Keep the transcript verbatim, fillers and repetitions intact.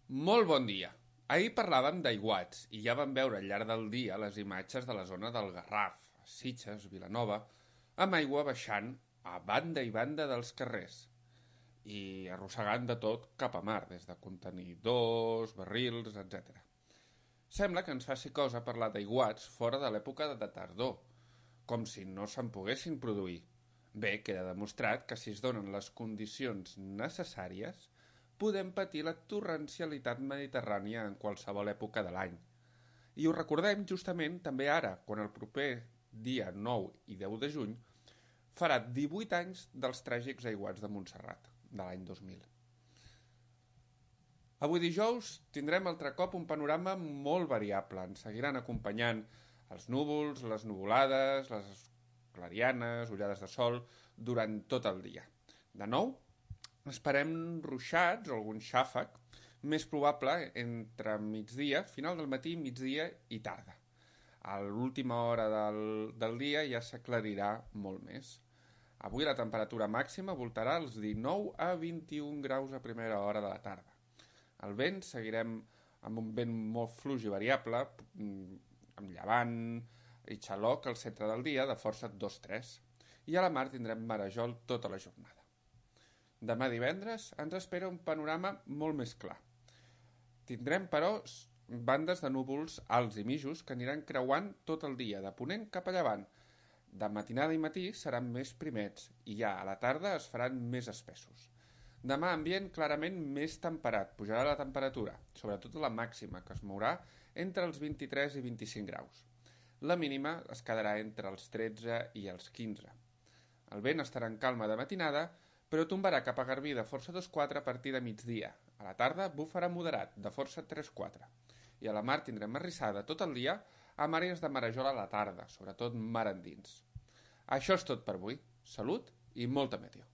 Molt bon dia. Ahir parlàvem d'aiguats i ja vam veure al llarg del dia les imatges de la zona del Garraf, Sitges, Vilanova, amb aigua baixant a banda i banda dels carrers i arrossegant de tot cap a mar, des de contenidors, barrils, etcètera. Sembla que ens faci cosa parlar d'aiguats fora de l'època de tardor, com si no se'n poguessin produir. Bé, queda demostrat que si es donen les condicions necessàries, podem patir la torrencialitat mediterrània en qualsevol època de l'any. I ho recordem justament també ara, quan el proper dia nou i deu de juny farà divuit anys dels tràgics aiguats de Montserrat, de l'any dos mil. Avui dijous tindrem altre cop un panorama molt variable. Ens seguiran acompanyant els núvols, les nuvolades, les clarianes, ullades de sol, durant tot el dia. De nou, esperem ruixats o algun xàfec, més probable entre migdia, final del matí, migdia i tarda. A l'última hora del, del dia ja s'aclarirà molt més. Avui la temperatura màxima voltarà als dinou a vint-i-un graus a primera hora de la tarda. El vent seguirem amb un vent molt fluix i variable, amb llevant i xaloc al centre del dia de força dos tres. I a la mar tindrem marejol tota la jornada. Demà divendres ens espera un panorama molt més clar. Tindrem, però, bandes de núvols alts i mitjos que aniran creuant tot el dia, de ponent cap a llevant. De matinada i matí seran més primets i ja a la tarda es faran més espessos. Demà ambient clarament més temperat, pujarà la temperatura, sobretot la màxima, que es mourà entre els vint-i-tres i vint-i-cinc graus. La mínima es quedarà entre els tretze i els quinze. El vent estarà en calma de matinada, però tombarà cap a Garbí de força dos quatre a partir de migdia. A la tarda bufarà moderat, de força tres quatre. I a la mar tindrem arrissada tot el dia amb àrees de marejol a la tarda, sobretot mar endins. Això és tot per avui. Salut i molta meteo.